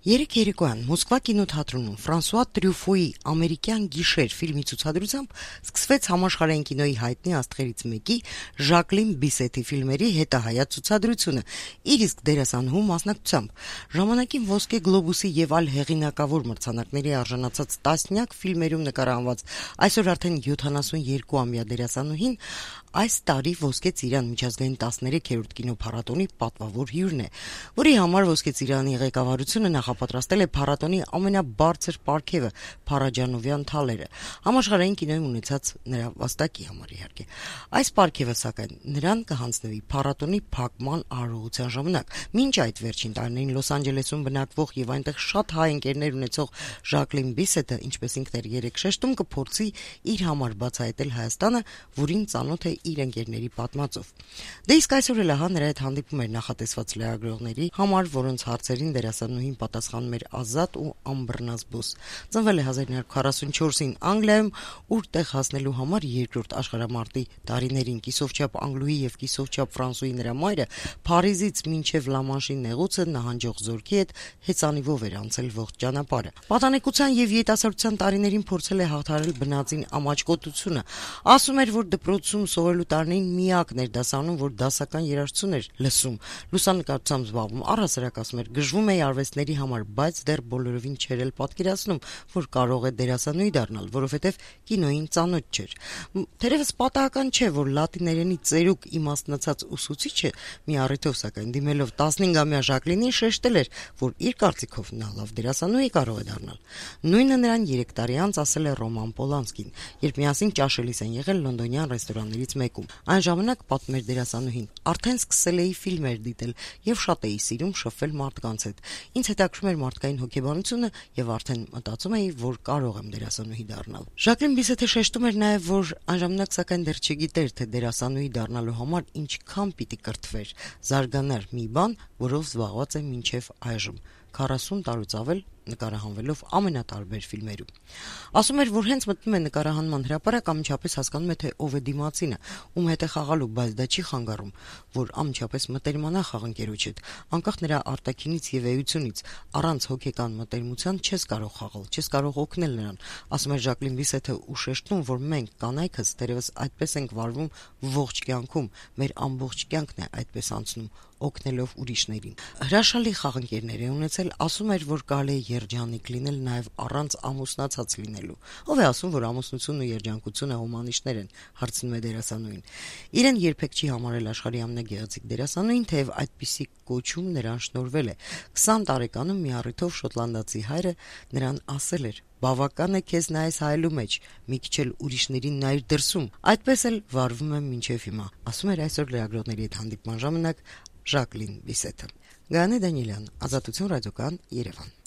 Երեկ երեկոյան Մոսկվա կինոթատրոնում Ֆրանսուଆ Տրյուֆոյի «Ամերիկյան գիշեր» ֆիլմի ցուցադրությամբ սկսվեց համաշխարհային կինոյի հայտնի աստղերից մեկի Ժակլին Բիսետի ֆիլմերի հետահայաց ցուցադրությունը իր իսկ դերասանուհու մասնակցությամբ։ Ժամանակին Ոսկե գլոբուսի եւ այլ հեղինակավոր մրցանակների արժանացած տասնյակ ֆիլմերում նկարահանված այսօր արդեն 72-ամյա դերասանուհին այս տարի Ոսկե Ծիրան միջազգային 13-րդ կինոփառատոնի պատվավոր հյուրն է, որի համար Ոսկե Ծիրանի ղեկավարությունը նախապատրաստել է փառատոնի ամենաբարձր պարգևը Փարաջանովյան թալերը, համաշխարհային կինոյում ունեցած նրա վաստակի համար իհարկե։ Այս պարգևը սակայն նրան կհանձնվի փառատոնի փակման արարողության ժամանակ։ Մինչ այդ վերջին տարիներին Լոս Անջելեսում բնակվող եւ այնտեղ շատ հայ ընկերներ ունեցող Ժակլին Բիսետը, ինչպես ինքն էր երեք շեշտում, կփորձի իր համար բացահայտել Հայաստանը, որին ծանոթ է իր ընկերների պատմածով։ Դե իսկ այսօր էլ ահա նրա հետ հանդիպում էր նախատեսված լրագրողների համար, որոնց հարցերին դերասանուհին պատասխանում էր ազատ ու անբռնազբոս։ Ծնվել է 1944-ին Անգլիայում, ուր տեղ հասնելու համար երկրորդ աշխարհամարտի տարիներին կիսովչափ անգլուհի եւ կիսովչափ ֆրանսուհի նրա մայրը Փարիզից մինչեւ Լամանշի նեղուցը նահանջող զորքի հետ հեծանիվով էր անցել ողջ ճանապարհը։ Պատանեկության եւ երիտասարդության տարիներին փորձել է հաղթահարել բնածին ամաչկոտությունը։ Ասում էր, որ դպրոցում սովորելու տարիներին միակն էր դասանում, որ դասական երաժշտություն էր լսում, լուսանկարչությամբ զբաղվում, առհասարակ ասում էր, գժվում էի արվեստների համար, բայց դեռ բոլորովին չէր էլ պատկերացնում, որ կարող է դերասանուհի դառնալ, որովհետև կինոյին ծանոթ չէր։ Թերևս պատահական չէ, որ լատիներենի ծերուկ իմաստնացած ուսուցիչը մի առիթով սակայն դիմելով 15-ամյա Ժակլինին շեշտել էր, որ իր կարծիքով նա լավ դերասանուհի կարող է դառնալ։ Նույնը նրան 3 տարի անց ասել է Ռոման Պոլանսկին, երբ միասին ճաշելիս են եղել լոնդոնյան ռեստորաններից մեկում։ Այն ժամանակ, պատմեր դերասանուհին, արդեն սկսել էի ֆիլմեր դիտել եւ շատ էի սիրում շփվել մարդկանց հետ։ Ինձ հետաքրքրում էր մարդկային հոգեբանությունը եւ արդեն մտածում էի, որ կարող եմ դերասանուհի դառնալ։ Ժակլին Բիսետը շեշտում էր նաեւ, որ այն ժամանակ սակայն դեռ չգիտեր, թե դերասանուհի դառնալու համար ինչքան պիտի կրթվեր, զարգանար մի բան, որով զբաղված է մինչեւ այժմ 40 տարուց ավել նկարահանվելով ամենատարբեր ֆիլմերում։ Ասում էր, որ հենց մտնում է նկարահանման հրապարակ, ամիջապես հասկանում է, թե ով է դիմացինը, ում հետ է խաղալու, բայց դա չի խանգարում, որ ամիջապես մտերմանա խաղընկերոջ հետ, անկախ նրա արտաքինից եւ էությունից, առանց հոգեկան մտերմության չես կարող խաղալ, չես կարող օգնել նրան։ Ասում էր Ժակլին Բիսետը ու շեշտում, որ մենք կանայքս դերևս այդպես ենք վարվում ողջ կյանքում, մեր ամբողջ կյանքն է այդպես անցնում, օգնելով ուրիշներին։ Հրաշալի խաղընկերներ է ունեցել, ասում էր, որ կարելի է երջանիկ լինել նաև առանց ամուսնացած լինելու։ Ով է ասում, որ ամուսնությունն ու երջանկությունը հոմանիշներ են, հարցնում է դերասանուհին։ Իրեն երբեք չի համարել աշխարհի ամենագեղեցիկ դերասանուհին, թեև այդպիսի կոչում նրան շնորհվել է։ 20 տարեկանում մի առիթով շոտլանդացի հայրը նրան ասել էր. «Բավական է քեզ նայես հայելու մեջ, մի քիչ էլ ուրիշներին նայիր դրսում»։ Այդպես էլ վարվում եմ մինչև հիմա, ասում էր այսօր լրագրողների հետ հանդիպման ժամանակ Ժակլին Բիսետը։ Գայանե Դանիելյան, Ազատություն ռադիոկան, Երևան։